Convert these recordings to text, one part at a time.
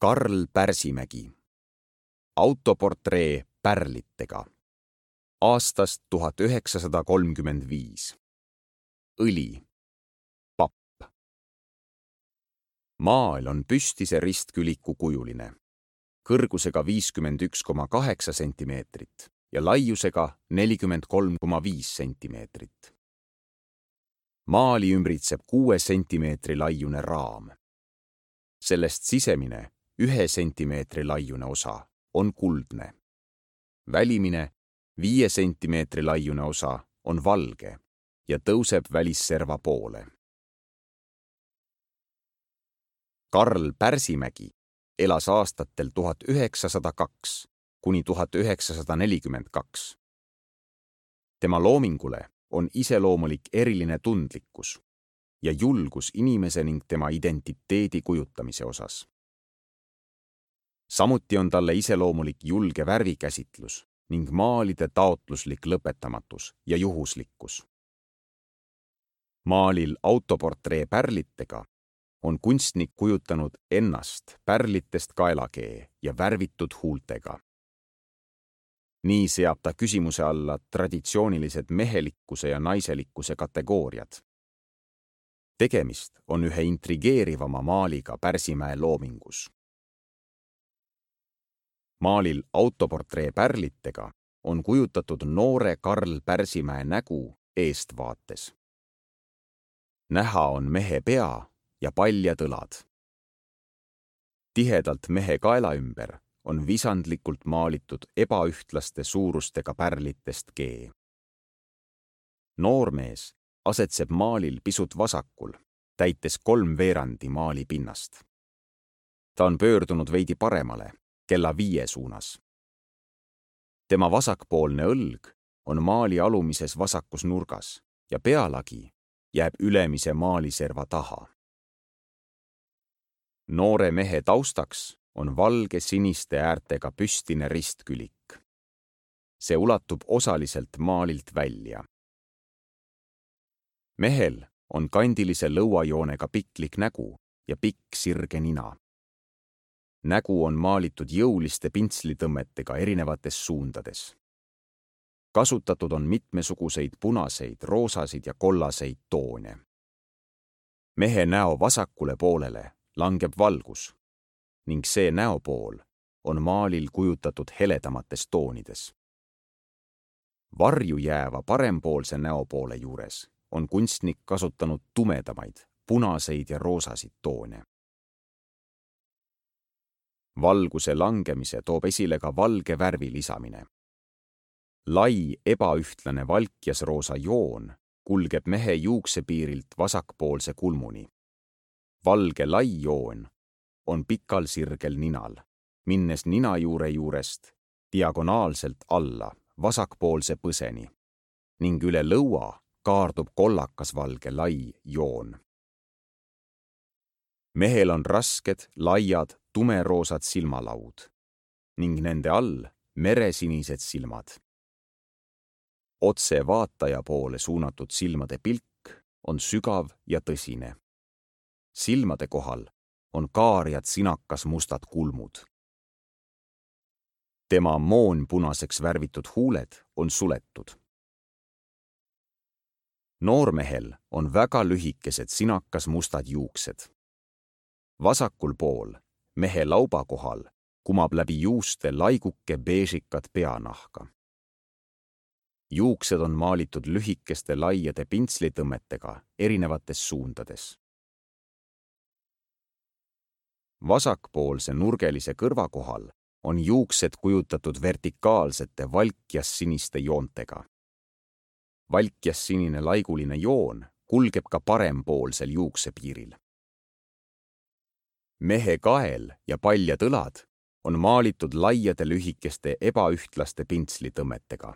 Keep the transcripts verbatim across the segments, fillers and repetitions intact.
Karl Pärsimägi. Autoportree pärlitega. Aastast tuhat üheksasada kolmkümmend viis. Õli. Papp. Maal on püstise ristküliku kujuline, kõrgusega viiskümmend üks koma kaheksa sentimeetrit ja laiusega nelikümmend kolm koma viis sentimeetrit. Maali ümbritseb kuue sentimeetri laiune raam. Sellest sisemine ühe sentimeetri laiune osa on kuldne. Välimine viie sentimeetri laiune osa on valge ja tõuseb välisserva poole. Karl Pärsimägi elas aastatel tuhat üheksasada kaks kuni tuhat üheksasada nelikümmend kaks. Tema loomingule on iseloomulik eriline tundlikkus ja julgus inimese ning tema identiteedi kujutamise osas. Samuti on talle iseloomulik julge värvikäsitlus ning maalide taotluslik lõpetamatus ja juhuslikkus. Maalil autoportree pärlitega on kunstnik kujutanud ennast pärlitest kaelakee ja värvitud huultega. Nii seab ta küsimuse alla traditsioonilised mehelikkuse ja naiselikkuse kategooriad. Tegemist on ühe intrigeerivama maaliga Pärsimäe loomingus. Maalil autoportree pärlitega on kujutatud noore Karl Pärsimäe nägu eestvaates. Näha on mehe pea ja paljad õlad. Tihedalt mehe kaela ümber on visandlikult maalitud ebaühtlaste suurustega pärlitest kee. Noormees asetseb maalil pisut vasakul, täites kolm veerandi maali pinnast. Ta on pöördunud veidi paremale, kella viie suunas. Tema vasakpoolne õlg on maali alumises vasakus nurgas ja pealagi jääb ülemise maaliserva taha. Noore mehe taustaks on valge siniste äärtega püstine ristkülik. See ulatub osaliselt maalilt välja. Mehel on kandilise lõuajoonega piklik nägu ja pikk sirge nina. Nägu on maalitud jõuliste pintslitõmmetega erinevates suundades. Kasutatud on mitmesuguseid punaseid, roosasid ja kollaseid toone. Mehe näo vasakule poolele langeb valgus ning see näopool on maalil kujutatud heledamates toonides. Varju jääva parempoolse näopoole juures on kunstnik kasutanud tumedamaid, punaseid ja roosasid toone. Valguse langemise toob esile ka valge värvi lisamine. Lai ebaühtlane valkjasroosa joon kulgeb mehe juuksepiirilt vasakpoolse kulmuni. Valge lai joon on pikal sirgel ninal, minnes ninajuure juurest diagonaalselt alla vasakpoolse põseni ning üle lõua kaardub kollakas valge lai joon. Mehel on rasked, laiad, tumeroosad silmalaud ning nende all meresinised silmad. Otse vaataja poole suunatud silmade pilk on sügav ja tõsine. Silmade kohal on kaarjad sinakas mustad kulmud. Tema moonpunaseks värvitud huuled on suletud. Noormehel on väga lühikesed sinakas mustad juuksed. Vasakul pool, mehe lauba kohal, kumab läbi juuste laiguke beežikat peanahka. Juuksed on maalitud lühikeste laiade pintslitõmmetega erinevates suundades. Vasakpoolse nurgelise kõrva kohal on juuksed kujutatud vertikaalsete valkjassiniste joontega. Valkjassinine laiguline joon kulgeb ka parempoolsel juuksepiiril. Mehe kael ja paljad õlad on maalitud laiade lühikeste ebaühtlaste pintslitõmmetega.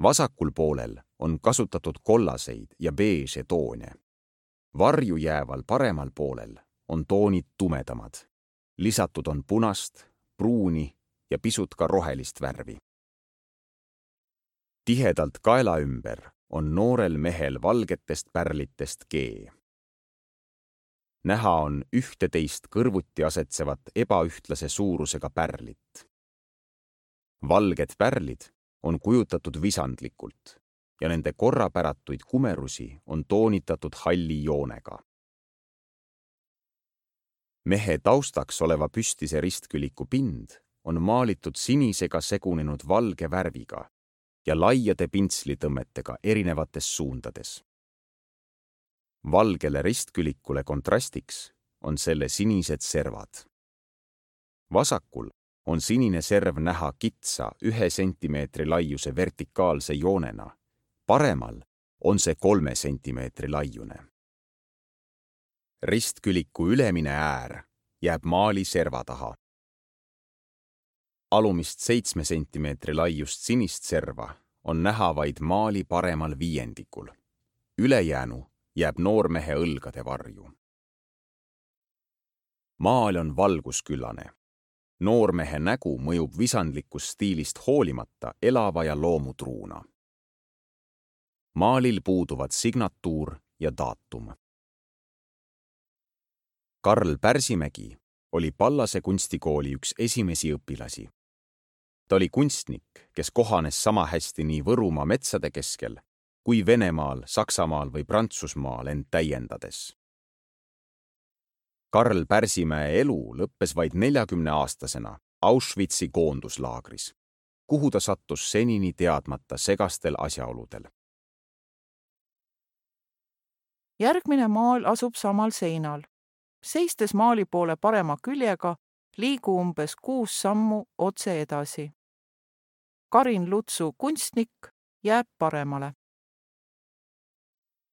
Vasakul poolel on kasutatud kollaseid ja beeže toone. Varju jääval paremal poolel on toonid tumedamad. Lisatud on punast, pruuni ja pisut ka rohelist värvi. Tihedalt kaela ümber on noorel mehel valgetest pärlitest kee. näha on ühteteist kõrvuti asetsevat ebaühtlase suurusega pärlit. Valged pärlid on kujutatud visandlikult ja nende korrapäratuid kumerusi on toonitatud halli joonega. Mehe taustaks oleva püstise ristküliku pind on maalitud sinisega segunenud valge värviga ja laiade pintslitõmmetega erinevates suundades. Valgele ristkülikule kontrastiks on selle sinised servad. Vasakul on sinine serv näha kitsa ühe sentimeetri laiuse vertikaalse joonena, paremal on see kolme sentimeetri laiune. Ristküliku ülemine äär jääb maali serva taha. Alumist seitsme sentimeetri laiust sinist serva on näha vaid maali paremal viiendikul. Ülejäänu jääb noormehe õlgade varju. Maal on valgusküllane. Noormehe nägu mõjub visandlikust stiilist hoolimata elava ja loomutruuna. Maalil puuduvad signatuur ja daatum. Karl Pärsimägi oli Pallase kunstikooli üks esimesi õpilasi. Ta oli kunstnik, kes kohanes sama hästi nii Võrumaa metsade keskel kui Venemaal, Saksamaal või Prantsusmaal end täiendades. Karl Pärsimäe elu lõppes vaid neljakümne aastasena Auschwitzi koonduslaagris, kuhu ta sattus senini teadmata segastel asjaoludel. Järgmine maal asub samal seinal. Seistes maali poole parema küljega liigu umbes kuus sammu otse edasi. Karin Lutsu kunstnik jääb paremale.